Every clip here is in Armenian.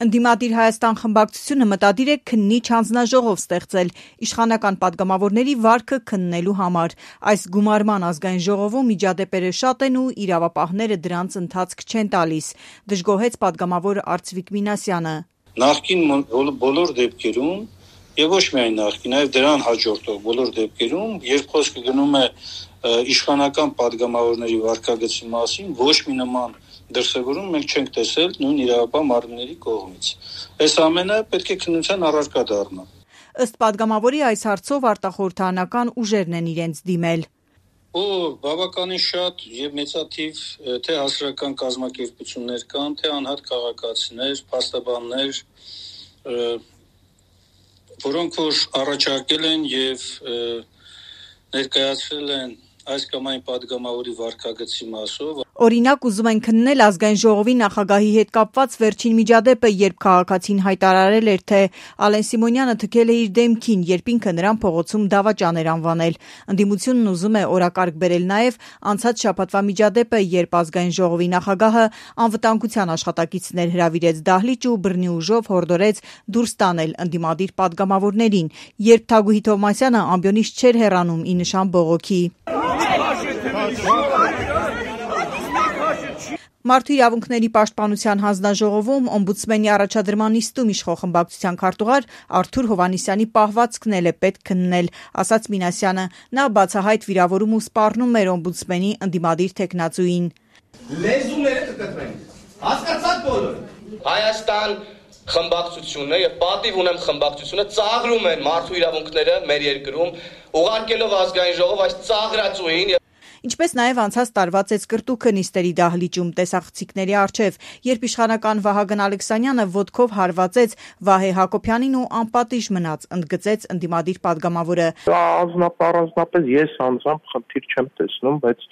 Ընդդիմադիր Հայաստան խմբակցությունը մտադիր է քննիչ հանձնաժողով ստեղծել իշխանական պատգամավորների վարքը քննելու համար։ Այս գումարման ազգային ժողովում միջադեպերը շատ են ու իրավապահները դրանց ընթացք չեն տալիս, դժգոհեց պատգամավոր Արծվիկ Մինասյանը։ Նախկին բոլոր դեպքերում եւ ոչ միայն նախկին, այլ դրան հաջորդող բոլոր դեպքերում, երբ խոսքը գնում է իշխանական պատգամավորների վարքագծի մասին, ոչ մի նման դրսևորում մենք չենք տեսել նույն իրավապահ մարմինների կողմից։ Այս ամենը պետք է քննության առարկա դառնա։ Ըստ պատգամավորի այս հարցով արտախորհրդարանական ուժերն են իրենց դիմել։ Բավականին շատ եւ մեծաթիվ թե հասարակական կազմակերպություններ կան, թե անհատ քաղաքացիներ, փաստաբաններ, որոնք որ առաջարկել են եւ ներկայացրել են այս կամ այն պատգամավորի վարքագծի մասով։ Օրինակ ուզում են քննել ազգային ժողովի նախագահի հետ կապված վերջին միջադեպը, երբ քաղաքացին հայտարարել էր, թե Ալեն Սիմոնյանը թքել է իր դեմքին, երբ ինքը նրան փողոցում դավաճան էր անվանել։ Ընդդիմությունն ուզում է օրակարգ բերել նաև անցած շաբաթվա միջադեպը, երբ ազգային ժողովի նախագահը անվտանգության աշխատակիցներ հրավիրեց դահլիճ ու բռնի ուժով հորդորեց դուրս տանել ընդդիմադիր պատգամավորներին, երբ Թագուհի Թովմասյանը ամբիոնից չէր հեռանում ի նշան բողոքի։ Մարդու իրավունքների պաշտպանության հանձնաժողովում օմբուդսմենի առաջադրման նիստում իշխող խմբակցության քարտուղար Արթուր Հովհաննիսյանի պահվածքն էլ է պետք քննել, ասաց Մինասյանը։ Նա բացահայտ վիրավորում ու սպառնում էր օմբուդսմենի ընդդիմադիր թեկնածուին։ Լեզուները կկտրեն։ Հասկացաք բոլորը։ Հայաստան խմբակցությունը եւ պատիվ ունեմ խմբակցությունը ծաղրում են մարդու իրավունքները մեր երկրում, ուղարկելով ազգային ժողով այս ծաղրածուին։ Ինչպես նաև անցած տարվա ծեծկրտուքը նիստերի դահլիճում տեսախցիկների առջև, երբ իշխանական Վահագն Ալեքսանյանը ոտքով հարվածեց Վահե Հակոբյանին ու անպատիժ մնաց, ընդգծեց ընդդիմադիր պատգամավորը։ Առանձնապես ես անձամբ խնդիր չեմ տեսնում, բայց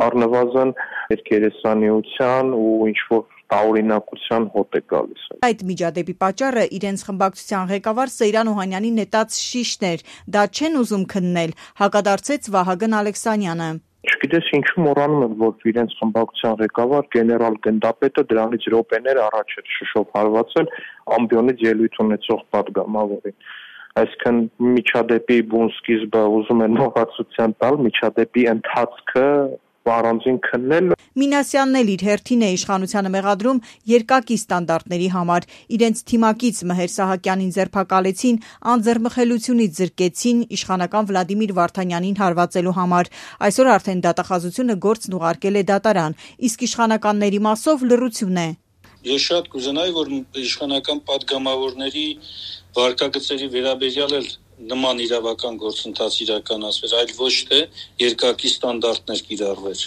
առնվազն երկերեսանիության ու ինչ-որ տարօրինակության հոտ է գալիս։ Այդ միջադեպի պատճառը իրենց խմբակցության ղեկավար Սեյրան Օհանյանի նետած շիշն էր, դա չեն ուզում քննել, հակադարձեց Վահագն Ալեքսանյանը։ Չգիտես ինչու մոռանում են, որ իրենց խմբակցության ղեկավար գեներալ գնդապետը դրանից րոպեներ առաջ էր շշով հարվածել ամբիոնից ելույթ ունեցող պատգամավորին։ Այսինքն միջադեպի բուն սկիզբը ուզում են մոռացության տալ, միջադեպի ընթացքը առանձին քննել։ Մինասյանն էլ իր հերթին է իշխանությանը մեղադրում երկակի ստանդարտների համար։ Իրենց թիմակից Մհեր Սահակյանին ձերբակալեցին, անձեռմխելությունից զրկեցին իշխանական Վլադիմիր Վարդանյանին հարվածելու համար։ Այսօր արդեն դատախազությունը գործն ուղարկել է դատարան, իսկ իշխանականների մասով լռություն է։ Ես շատ կուզենայի, որ իշխանական պատգամավորների վարքագծերի վերաբերյալ էլ նման իրավական գործընթաց իրականացվեր, այլ ոչ թե երկակի ստանդարտներ կիրառվեր։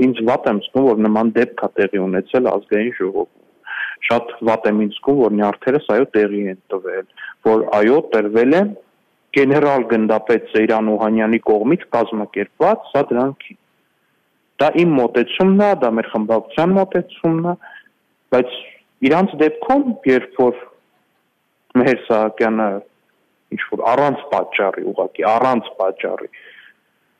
Ինձ վատ եմ զգում, որ նման դեպք է տեղի ունեցել ազգային ժողովում։ Շատ վատ եմ ինձ զգում, որ նյարդերս այո տեղի են տվել, որ այո տրվել է գեներալ գնդապետ Սեյրան Օհանյանի կողմից կազմակերպված սադրանքի։ Դա իմ մոտեցումն է, դա մեր խմբակցության մոտեցումն է, բայց իրանց դեպքում, երբ որ Մհեր Սահակյանը ինչ-որ առանց պատճառի, ուղղակի առանց պատճառի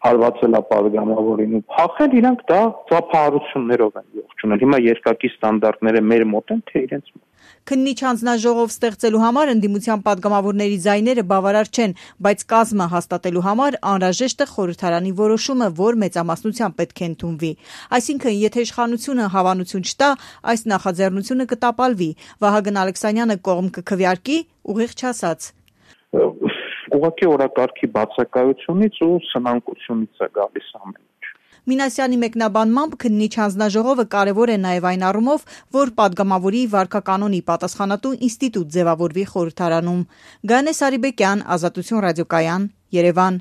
հարվածել է պատգամավորին ու փախել, իրանք դա ծափահարություններով են ողջունել։ Հիմա երկակի ստանդարտները մեր մոտ են, թե իրենց մոտ։ Քննիչ հանձնաժողով ստեղծելու համար ընդդիմության պատգամավորների ձայները բավարար չեն, բայց կազմը հաստատելու համար անհրաժեշտ է խորհրդարանի որոշումը, որ մեծամասնությամբ պետք է ընդունվի։ Այսինքն, եթե իշխանությունը հավանություն չտա, այս նախաձեռնությունը կտապալվի։ Վահագն Ալեքսանյանը կողմ կքվեարկի, ուղիղ չասաց։ Ուղղակի օրակարգի բացակայությունից ու սնանկությունից է գալիս ամեն ինչ։ Մինասյանի մեկնաբանմամբ քննիչ հանձնաժողովը կարևոր է նաև այն առումով, որ պատգամավորի վարքականոնի պատասխանատու ինստիտուտ ձևավորվի խորհրդարանում։ Գայանե Սարիբեկյան, Ազատություն ռադիոկայան, Երևան։